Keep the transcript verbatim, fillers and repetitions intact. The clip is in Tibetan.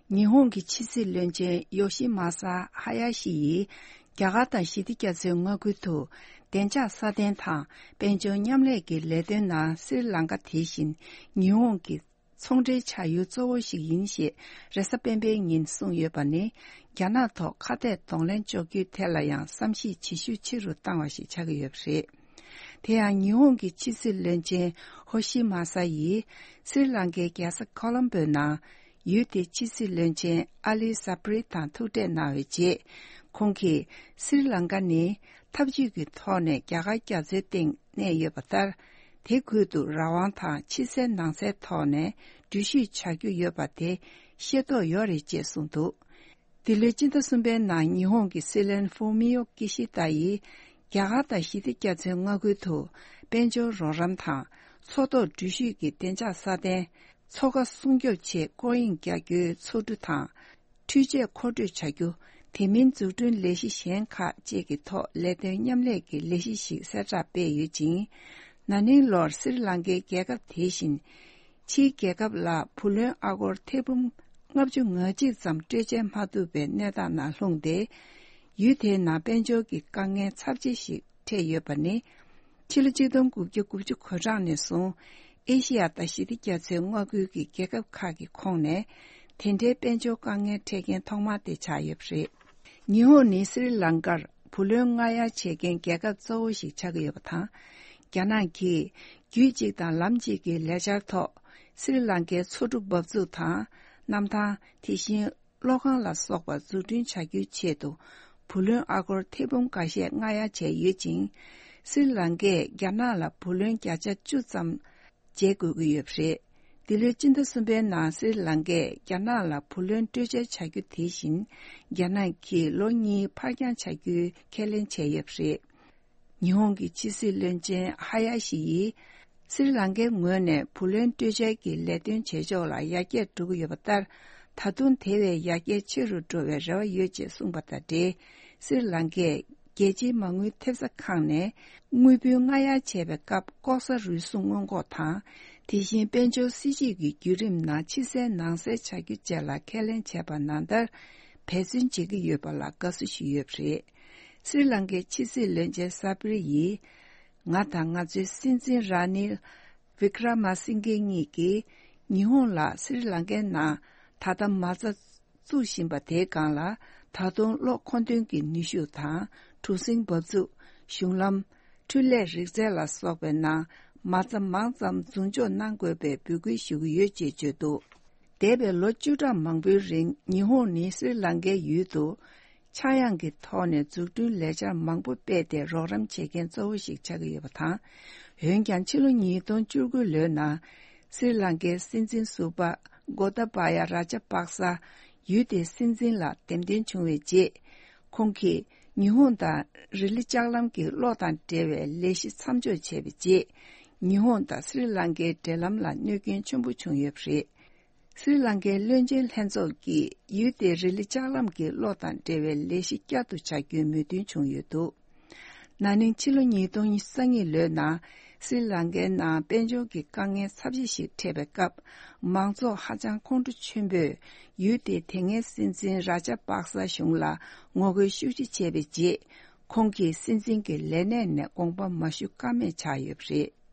ཉི་ཧོང་གི་ཕྱི་སྲིད་བློན་ཆེན་ཡོ་ཤི་མ་ས་ཧ་ཡ་ཤི་ཡིས་རྒྱ་གར་དང་ཞི་བདེ་རྒྱ་མཚོའི་མངའ་ཁུལ་དུ་བདེ་འཇགས་སྲ་བརྟན་དང་དཔལ་འབྱོར་མཉམ་ལས་ཀྱི་ལས་དོན་ནང་སྲི་ལང་ཀ་དེ་བཞིན་ཉི་ཧོང་གི་ཚོང་འབྲེལ་བྱ་ཡུལ་གཙོ་བོ་ཞིག་ཡིན་ཞེས་རེས་གཟའ་སྤེན་པའི་ཉིན་གསུངས་ཡོད་པ་ནི། རྒྱ་ནག་ཐོག་ཁ་གཏད་གདོང་ལེན་གཅོག་རྒྱུའི་ཐད་ལ་ཡང་བསམ་གཞིག་བྱེད་ཤུགས་ཆེ་རུ་བཏང་བ་ཞིག་ཆགས་ཀྱི་ཡོད་པ་རེད། དེ་ཡང་ཉི་ཧོང་གི་ཕྱི་སྲིད་བློན་ཆེན་ཧོ་ཤི་མ་ས་ཡིས་སྲི་ལང་ཀའི་རྒྱལ་ས་ཁོ་ལོམ་པོའི་ནང་ཡུལ་དེའི་ཕྱི་སྲིད་བློན་ཆེན་ཨ་ལི་ས་པྲི་དང་ཐུག་འཕྲད་གནང་བའི་རྗེས། ཁོང་གིས་སྲི་ལང་ཀ་ནི་འཐབ་ཇུས་ཀྱི་ཐོག་ནས་རྒྱ་གར་རྒྱ་མཚོའི་སྟེང་གནས་ཡོད་པ་ལྟར། དེ་ཁུལ་དུ་རང་དབང་དང་ཕྱི་གསལ་ནང་གསལ་ཐོག་ནས་འགྲུལ་བཞུད་བྱ་རྒྱུ་ཡོད་པ་དེ་ཤེས་རྟོགས་ཡོད་རེད་ཅེས་གསུངས་འདུག་འདི་ལོའི་སྤྱི་ཟླ་གསུམ་པའི་ནང་ཉི་ཧོང་གི་སྲིད་བློན་ཧྥུ་མི་ཡོ་ཀི་ཤི་ད་ཡིས་རྒྱ་གར་དང་ཞི་བདེ་རྒྱ་མཚོའི་མངའ་ཁུལ་དུ་དཔལ་འབྱོར་རོགས་རམ་དང་མཚོ་ཐོག་འགྲུལ་བཞུད་ཀྱི་བདེ་འཇགས་སྲ་བརྟན། མཚོ་ཁ་སྲུང་སྐྱོབ་ཆེད་སྐོར་གཡེང་རྒྱག་རྒྱུའི་ཚོགས་འདུ་དང་། འཕྲུལ་ཆས་མཁོ་སྤྲོད་བྱ་རྒྱུ། དེ་མིན་འཛུགས་སྐྲུན་ལས་གཞི་གཞན་ཁག་བཅས་ཀྱི་ཐོག་ལས་དོན་མཉམ་ལས་ཀྱི་ལས་གཞི་ཞིག་གསལ་བསྒྲགས་སྤེལ་ཡོད་ཅིང་། ན་ནིང་ལོར་སྲི་ལང་ཀའི་རྒྱལ་ཁབ་དེ་བཞིན། ཕྱིའི་རྒྱལ་ཁབ་ལ་བུ་ལོན་ཨ་སྒོར་ཐེར་འབུམ་ལྔ་བཅུ་ང་གཅིག་ཙམ་སྤྲོད་འཇལ་མ་ཐུབ་པའི་གནས་སྟངས་ནང་ལྷུང་སྟེ། ཡུལ་དེའི་ནང་དཔལ་འབྱོར་གྱི་དཀའ་ངལ་ཚབས་ཆེ་ཞིག་འཕྲད་ཡོད་པ་ནི། ཕྱི་ལོ་ཆིག་སྟོང་དགུ་བརྒྱ་དགུ་བཅུ་གོ་གྲངས་ནས་བཟུང་། ཨེ་ཤི་ཡ་དང་ཞི་བདེ་རྒྱ་མཚོའི་མངའ་ཁུལ་གྱི་རྒྱལ་ཁབ་ཁག་གི་ཁོངས་ནས། དེ་འདྲའི་དཔལ་འབྱོར་དཀའ་ངལ་འཕྲད་མཁན་ཐོག་མ་དེ་ཆགས་ཡོད་པ་རེད། ཉི་ཧོང་ནི་སྲི་ལང་ཀར་བུ་ལོན་མངགས་ཡ་བྱེད་མཁན་རྒྱལ་ཁབ་གཙོ་བོ་ཞིག་ཆགས་ཀྱི་ཡོད་པ་དང་། རྒྱ་ནག་གིས་རྒྱུད་གཅིག་དང་ལམ་གཅིག་གི་ལས་འཆར་ཐོག་སྲི་ལང་ཀའི་མཚོ་གྲུ་འབབ་ཚུགས་དང་། གནམ་ཐང་། དེ་བཞིན། གློག་ཁང་ལ་སོགས་པ་འཛུགས་སྐྲུན་བྱ་རྒྱུའི་ཆེད་དུ། བུ་ལོན་ཨ་སྒོར་ཐེར་འབུམ་འགའ་ཤས་མངགས་ཡ་བྱས་ཡོད་ཅིང་། སྲི་ལང་ཀས་རྒྱ་ནག་ལ་བུ་ལོན་བརྒྱ་ཆ་བཅུ་ཙམ་འཇལ་དགོས་ཀྱི་ཡོད་པ་རེད། འདི་ལོའི་སྤྱི་ཟླ་གསུམ་པའི་ནང་སྲི་ལང་ཀས་རྒྱ་ནག་ལ་བུ་ལོན་སྤྲོད་འཇལ་བྱ་རྒྱུ་དེ་བཞིན། རྒྱ་ནག་གིས་ལོ་གཉིས་ཕར་འགྱངས་བྱ་རྒྱུའི་ཁས་ལེན་བྱས་ཡོད་པ་རེད། ཉི་ཧོང་གི་ཕྱི་སྲིད་བློན་ཆེན་ཧ་ཡ་ཤི་ཡིས། སྲི་ལང་ཀའི་ངོས་ནས་བུ་ལོན་སྤྲོད་འཇལ་གྱི་ལས་དོན་བྱེད་ཕྱོགས་ལ་ཡར་རྒྱས་འགྲོ་གི་ཡོད་པ་ལྟར། ད་དུང་དེ་བས་ཡར་རྒྱས་ཆེ་རུ་འགྲོ་བའི་རེ་བ་ཡོད་ཅེས་གསུངས་པ་དང་འབྲེལ། སྲི་ལང་ཀས་རྒྱལ་སྤྱིའི་མ་དངུལ་ཐེབས་རྩ་ཁང་ནས་དངུལ་བུན་མངགས་ཡ་བྱས་པའི་སྐབས་ལྐོག་ཟ་རུལ་སུངས་སྔོན་འགོག་དང་། དེ་བཞིན་དཔལ་འབྱོར་སྲིད་ཇུས་ཀྱི་བརྒྱུད་རིམ་ནང་ཕྱི་གསལ་ནང་གསལ་བྱ་རྒྱུ་བཅས་ལ་ཁས་ལེན་བྱས་པ་ནང་ལྟར་འབད་བརྩོན་བྱེད་ཀྱི་ཡོད་པ་ལ་དགའ་བསུ་ཞུས་ཡོད་པ་རེད། སྲི་ལང་ཀའི་ཕྱི་སྲིད་བློན་ཆེན་ས་པིར་ཡིས། ང་དང་ང་ཚོའི་སྲིད་འཛིན་ར་ནིལ་བི་ཀྲ་མ་སིང་གེ་གཉིས་ཀྱིས་ཉི་ཧོང་ལ་སྲི་ལང་ཀའི་ནང་ད་ལྟ་མ་རྩ་བཙུགས་བཞིན་པ་དེའི་སྒང་ལ། ད་དུང་གློག་མཁོ་འདོན་གྱི་ནུས་ཤུགས་དང་གྲུ་གཟིངས་འབབ་ཚུགས། གཞུང་ལམ། འཕྲུལ་ལས་རིག་རྩལ་ལ་སོགས་པའི་ནང་མ་རྩ་མང་ཙམ་འཛུགས་འཇོག་གནང་དགོས་པའི་འབོད་སྐུལ་ཞུ་གི་ཡོད་ཅེས་བརྗོད་འདུག་འདས་པའི་ལོ་བཅུ་ཕྲག་མང་པོའི་རིང་ཉི་ཧོང་ནི་སྲི་ལང་ཀའི་ཡུལ་དུ། ཆག་ཡང་གི་ཐོག་ནས་འཛུགས་སྐྲུན་ལས་འཆར་མང་པོ་སྤེལ་ཏེ་རོགས་རམ་བྱེད་མཁན་གཙོ་བོ་ཞིག་ཆགས་ཀྱི་ཡོད་པ་དང་། འོན་ཀྱང་ཕྱི་ལོ་ཉིས་སྟོང་བཅུ་དགུ་ལོའི་ནང་། སྲི་ལང་ཀའི་སྲིད་འཛིན་ཟུར་པ་གོ་ཏ་བ་ཡ་ར་ཇ་པག་ས་ཡུལ་དེའི་སྲིད་འཛིན་ལ་འདེམས་ཐོན་བྱུང་བའི་རྗེས། ཁོང་གིས་ཉི་ཧོང་དང་རི་ལི་ལྕགས་ལམ་གྱི་གློག་དང་འབྲེལ་བའི་ལས་གཞི་མཚམས་འཇོག་བྱས་པའི་རྗེས། ཉི་ཧོང་དང་སྲི་ལང་ཀའི་འབྲེལ་ལམ་ལ་གནོད་སྐྱོན་ཆེན་པོ་བྱུང་ཡོད་པ་རེད། སྲི་ལང་ཀའི་བློན་ཆེན་ལྷན་ཚོགས་ཀྱིས་ཡུལ་དེའི་རི་ལི་ལྕགས་ལམ་གྱི་གློག་དང་འབྲེལ་བའི་ལས་གཞི་བསྐྱར་དུ་བྱ་རྒྱུའི་མོས་མཐུན་བྱུང་ཡོད་འདུག་ན་ནིང་ཕྱི་ལོ་ཉིས་སྟོང་ཉི་ཤུ་རྩ་གཉིས་ལོའི་ནང་སྲི་ལང་ཀའི་ནང་དཔལ་འབྱོར་གྱི་དཀའ་ངལ་ཚབས་ཆེ་ཞིག་འཕྲད་པའི་སྐབས། མང་ཚོགས་ཧ་ཅང་ཁོང་ཁྲོ་ཆེན་པོས་ཡུལ་དེའི་དེ་སྔའི་སྲིད་འཛིན་ར་ཇ་པག་ས་གཞུང་ལ་ངོ་རྒོལ་ཤུགས་ཆེ་བྱས་པའི་རྗེས། ཁོང་གིས་སྲིད་འཛིན་གྱི་ལས་གནས་ནས་དགོངས་པ་མ་ཞུ་ཀ་མེད་ཆགས་ཡོད་པ་རེད།